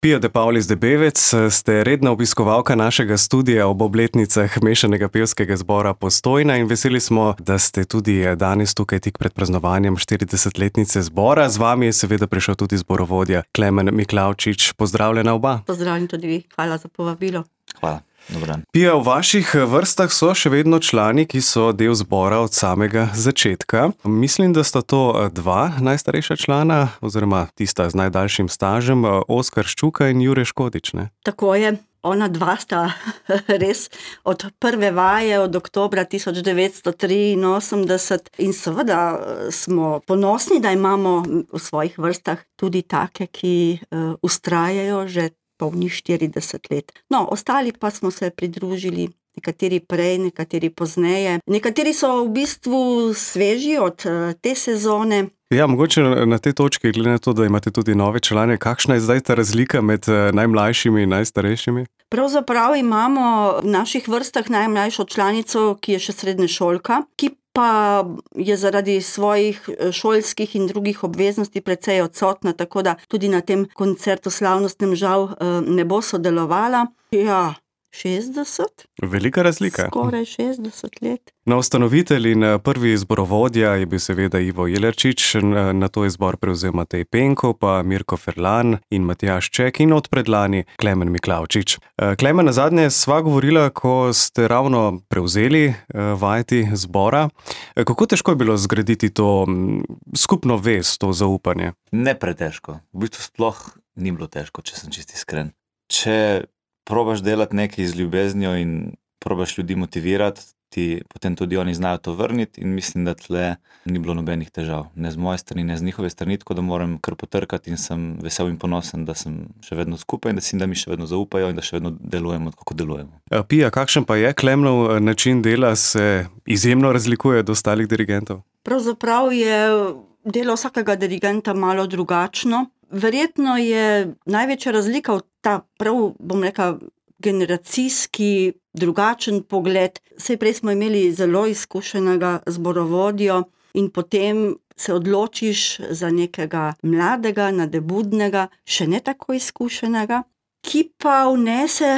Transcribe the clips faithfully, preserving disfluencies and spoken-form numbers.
Pia de Paulis de Bevec, ste redna obiskovalka našega studia ob obletnicah Mešanega pevskega zbora Postojna in veseli smo, da ste tudi danes tukaj tik pred praznovanjem štiridesetletnice zbora. Z vami je seveda prišel tudi zborovodja Klemen Miklavčič. Pozdravljena oba. Pozdravljeni tudi vi. Hvala za povabilo. Hvala. Dober dan. Pia, v vaših vrstah so še vedno člani, ki so del zbora od samega začetka. Mislim, da sta to dva najstarejša člana, oziroma tista z najdaljšim stažem, Oskar Ščuka in Jure Škodič, ne? Tako je. Ona dva sta res od prve vaje, od oktobra tisoč devetsto triinosemdeset in seveda smo ponosni, da imamo v svojih vrstah tudi take, ki uh, vztrajajo že polnih štirideset let. No, ostali pa smo se pridružili, nekateri prej, nekateri pozneje. Nekateri so v bistvu sveži od uh, te sezone. Ja, mogoče na tej točki, glede na to, da imate tudi nove člane, kakšna je zdaj ta razlika med najmlajšimi in najstarejšimi? Pravzaprav imamo v naših vrstah najmlajšo članico, ki je še srednješolka, ki pa je zaradi svojih šolskih in drugih obveznosti precej odsotna, tako da tudi na tem koncertu slavnostnem žal ne bo sodelovala. Ja, šestdeset? Velika razlika. Skoraj šestdeset let. No, ustanovitelj in prvi zborovodja je bil seveda Ivo Jelerčič, nato je zbor prevzel Matej Penko, pa Mirko Ferlan in Matjaž Ček in od predlani Klemen Miklavčič. Klemen, nazadnje sva govorila, ko ste ravno prevzeli vajeti zbora. Kako težko je bilo zgraditi to skupno vez, to zaupanje? Ne pretežko. V bistvu sploh ni bilo težko, če sem čisto iskren. Če probaš delati nekaj z ljubeznijo in probaš ljudi motivirati, ti potem tudi oni znajo to vrniti in mislim, da tle ni bilo nobenih težav. Ne z moje strani, ne z njihove strani, tako da moram kar potrkati in sem vesel in ponosen, da sem še vedno skupaj in da, si, da mi še vedno zaupajo in da še vedno delujemo, kako delujemo. Pia, kakšen pa je Klemnov način dela, se izjemno razlikuje od ostalih dirigentov? Pravzaprav je delo vsakega dirigenta malo drugačno. Verjetno je največja razlika v ta prav, bom rekla, generacijski, drugačen pogled. Saj prej smo imeli zelo izkušenega zborovodjo in potem se odločiš za nekega mladega, nadebudnega, še ne tako izkušenega, ki pa vnese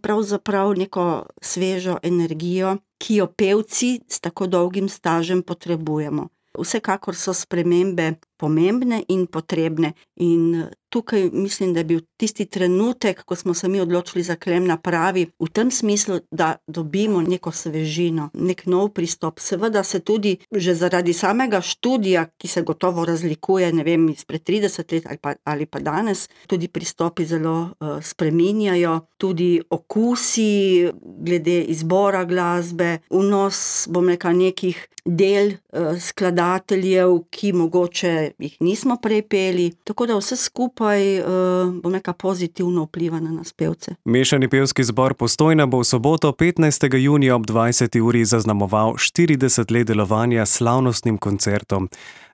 pravzaprav neko svežo energijo, ki jo pevci s tako dolgim stažem potrebujemo. Vsekakor so spremembe pomembne in potrebne in tukaj mislim, da je bil tisti trenutek, ko smo se mi odločili za Klemna pravi, v tem smislu, da dobimo neko svežino, nek nov pristop. Seveda se tudi že zaradi samega študija, ki se gotovo razlikuje, ne vem, izpred trideset let ali pa, ali pa danes, tudi pristopi zelo uh, spreminjajo, tudi okusi glede izbora glasbe, vnos, bom rekla, nekih del uh, skladateljev, ki mogoče jih nismo prej peli, tako da vse skupaj, uh, bom rekla, pozitivno vpliva na nas pevce. Mešani pevski zbor Postojna bo v soboto petnajstega junija ob dvajseti uri zaznamoval štirideset let delovanja s slavnostnim koncertom.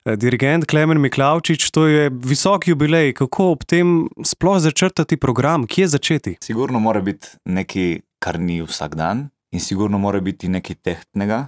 Dirigent Klemen Miklavčič, to je visok jubilej, kako ob tem sploh začrtati program, kje začeti? Sigurno mora biti nekaj, kar ni vsak dan in sigurno mora biti nekaj tehtnega,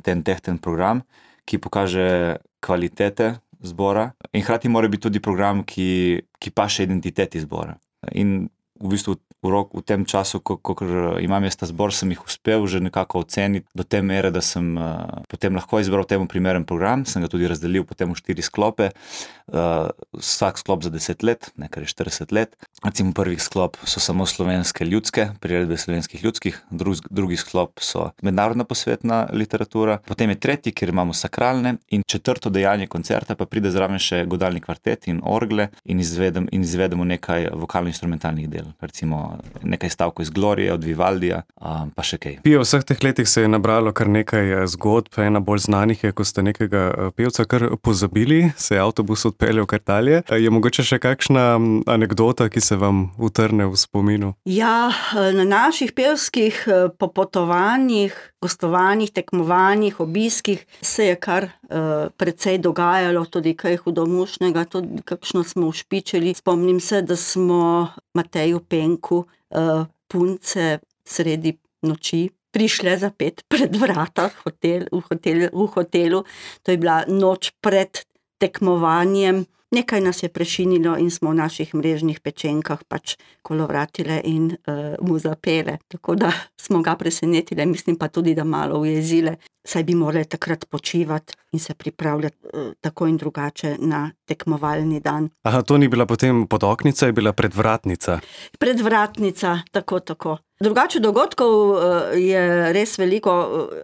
ten tehten program, ki pokaže kvalitete zbora in hkrati mora biti tudi program, ki, ki paše identiteti zbora. In v bistvu v, rok, v tem času, ko, ko imam jaz ta zbor, sem jih uspel že nekako oceniti do te mere, da sem uh, potem lahko izbral temu primeren program, sem ga tudi razdelil potem v štiri sklope, uh, vsak sklop za deset let, nekaj je štirideset let. Recimo prvih sklop so samo slovenske ljudske, priredbe slovenskih ljudskih, drug, drugi sklop so mednarodna posvetna literatura, potem je tretji, kjer imamo sakralne in četrto dejanje koncerta, pa pride zraven še godalni kvartet in orgle in, izvedem, in izvedemo nekaj vokalno-instrumentalnih del, recimo nekaj stavkov iz Glorije, od Vivaldija, pa še kaj. Pia, v vseh teh letih se je nabralo kar nekaj zgodb, ena bolj znanih je, ko ste nekega pevca kar pozabili, se je avtobus odpeljal kar dalje. Je mogoče še kakšna anekdota, ki se vam utrne v spominu? Ja, na naših pevskih popotovanjih, gostovanjih, tekmovanjih, obiskih se je kar uh, precej dogajalo, tudi kaj hudomušnega, tudi kakšno smo ušpičili. Spomnim se, da smo Mateju Penku uh, punce sredi noči prišle zapet pred vrata hotel, v, hotel, v hotelu. To je bila noč pred tekmovanjem. nekaj nas je prešinilo in smo v naših mrežnih pečenkah pač kolovratile in uh, mu zapele. Tako da smo ga presenetile, mislim pa tudi, da malo ujezile, saj bi morali takrat počivati in se pripravljati uh, tako in drugače na tekmovalni dan. Aha, to ni bila potem podoknica, je bila predvratnica. Predvratnica, tako, tako. Drugače dogodkov je res veliko.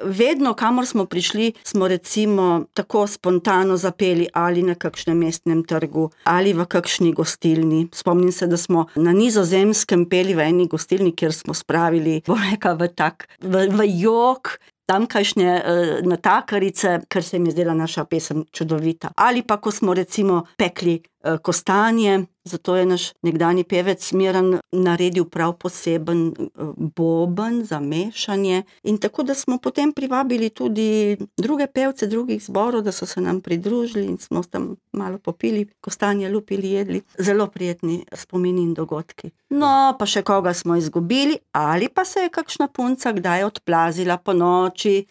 Vedno, kamor smo prišli, smo recimo tako spontano zapeli ali na kakšnem mestnem trgu, ali v kakšni gostilni. Spomnim se, da smo na Nizozemskem peli v eni gostilni, kjer smo spravili, bom rekla, v tak, v, v jok, tamkajšnje uh, natakarice, ker se jim je zdela naša pesem čudovita. Ali pa, ko smo recimo pekli uh, kostanje, zato je naš nekdani pevec Miran naredil prav poseben uh, boben za mešanje in tako, da smo potem privabili tudi druge pevce drugih zborov, da so se nam pridružili in smo tam malo popili, kostanje lupili, jedli. Zelo prijetni spomini in dogodki. No, pa še koga smo izgubili, ali pa se je kakšna punca kdaj odplazila po noči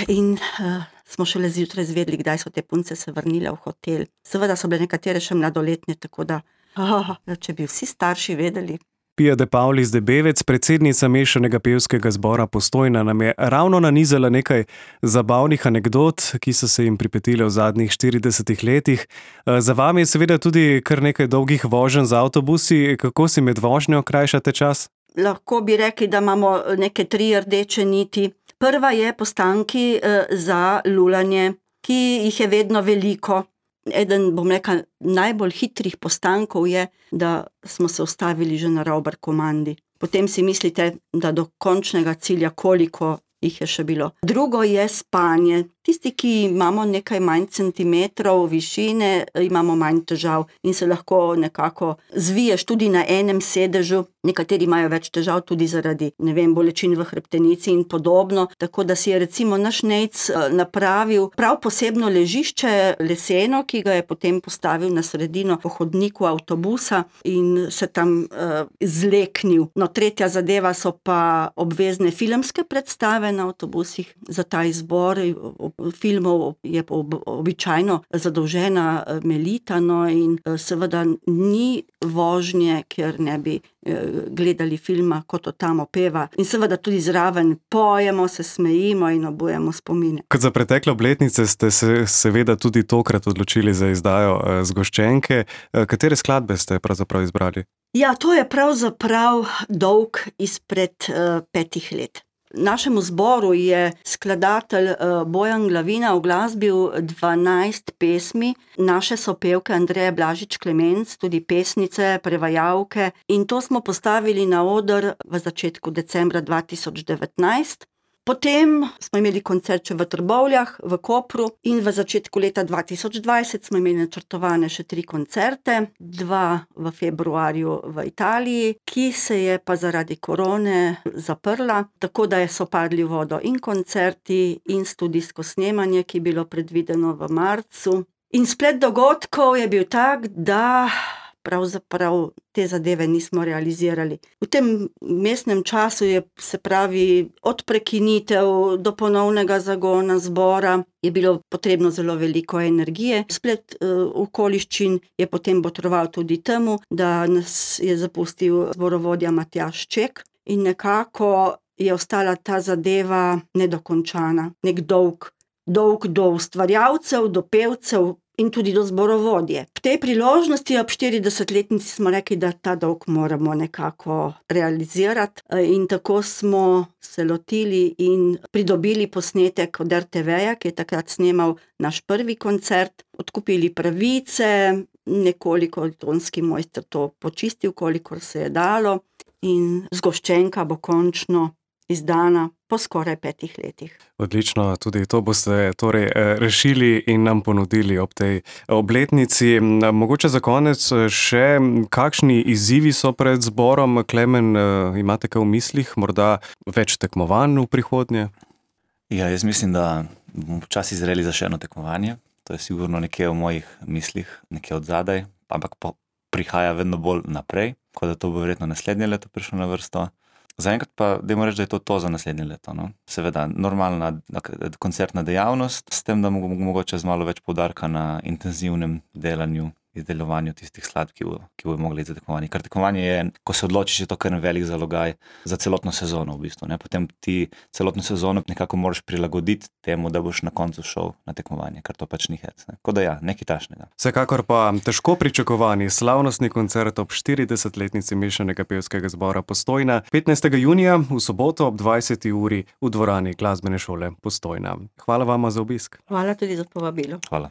in uh, smo šele zjutraj zvedli, kdaj so te punce se vrnile v hotel. Seveda so bile nekatere še mladoletne, tako da, oh, če bi vsi starši vedeli. Pia de Paulis Debevec, predsednica mešanega pevskega zbora Postojna, nam je ravno nanizala nekaj zabavnih anekdot, ki so se jim pripetile v zadnjih štiridesetih letih. Za vami je seveda tudi kar nekaj dolgih voženj z avtobusi. Kako si med vožnjo krajšate čas? Lahko bi rekli, da imamo neke tri rdeče niti. Prva je postanki za lulanje, ki jih je vedno veliko. Eden, bom rekla, najbolj hitrih postankov je, da smo se ustavili že na Ravbar komandi. Potem si mislite, da do končnega cilja koliko jih je še bilo. Drugo je spanje. Tisti, ki imamo nekaj manj centimetrov višine, imamo manj težav in se lahko nekako zviješ tudi na enem sedežu. Nekateri imajo več težav tudi zaradi, ne vem, bolečin v hrbtenici in podobno. Tako da si je recimo naš Nejc napravil prav posebno ležišče leseno, ki ga je potem postavil na sredino po hodniku avtobusa in se tam uh, zleknil. No, tretja zadeva so pa obvezne filmske predstave na avtobusih za ta izbor. Filmov je običajno zadolžena Melita, no in seveda ni vožnje, ker ne bi gledali filma, kot to tam opeva. In seveda tudi zraven pojemo, se smejimo in obujemo spomine. Kot za pretekle obletnice ste se seveda tudi tokrat odločili za izdajo zgoščenke. Katere skladbe ste pravzaprav izbrali? Ja, to je pravzaprav dolg izpred uh, petih let. Našemu zboru je skladatelj Bojan Glavina uglasbil dvanajst pesmi, naše sopevke Andreje Blažič Klemenc, tudi pesnice, prevajalke, in to smo postavili na oder v začetku decembra dva tisoč devetnajst. Potem smo imeli koncert še v Trbovljah, v Kopru in v začetku leta dva tisoč dvajset smo imeli načrtovane še tri koncerte, dva v februarju v Italiji, ki se je pa zaradi korone zaprla, tako da so padli v vodo in koncerti in studijsko snemanje, ki je bilo predvideno v marcu. In splet dogodkov je bil tak, da pravzaprav te zadeve nismo realizirali. V tem mestnem času je, se pravi, od prekinitev do ponovnega zagona zbora je bilo potrebno zelo veliko energije. Splet uh, okoliščin je potem botroval tudi temu, da nas je zapustil zborovodja Matjaž Ček in nekako je ostala ta zadeva nedokončana. Nek dolg, dolg do ustvarjalcev, do pevcev in tudi do zborovodje. V tej priložnosti ob štiridesetletnici smo rekli, da ta dolg moramo nekako realizirati in tako smo se lotili in pridobili posnetek od er te veja, ki je takrat snemal naš prvi koncert, odkupili pravice, nekoliko tonski mojster to počistil, kolikor se je dalo in zgoščenka bo končno izdana po skoraj petih letih. Odlično, tudi to boste torej rešili in nam ponudili ob tej obletnici. Mogoče za konec še, kakšni izzivi so pred zborom? Klemen, imate kaj v mislih? Morda več tekmovanj v prihodnje? Ja, jaz mislim, da bomo počasi zreli za še eno tekmovanje. To je sigurno nekje v mojih mislih, nekje od zadaj, ampak prihaja vedno bolj naprej, ko da to bo verjetno naslednje leto prišlo na vrsto. Zaenkrat pa dajmo reči, da je to to za naslednje leto. No? Seveda, normalna koncertna dejavnost, s tem, da mogoče z malo več poudarka na intenzivnem delanju izdelovanju tistih skladb, ki, bo, ki bojo mogli za tekmovanje. Ker tekmovanje je, ko se odločiš, je to kar velik zalogaj za celotno sezono v bistvu. Ne? Potem ti celotno sezono nekako moraš prilagoditi temu, da boš na koncu šel na tekmovanje, ker to pač ni hec. Ne? Tako da ja, nekaj tašnega. Vsekakor pa težko pričakovani slavnostni koncert ob štiridesetletnici Mešanega pevskega zbora Postojna petnajstega junija v soboto ob dvajseti uri v dvorani Glasbene šole Postojna. Hvala vama za obisk. Hvala tudi za povabilo. Hvala.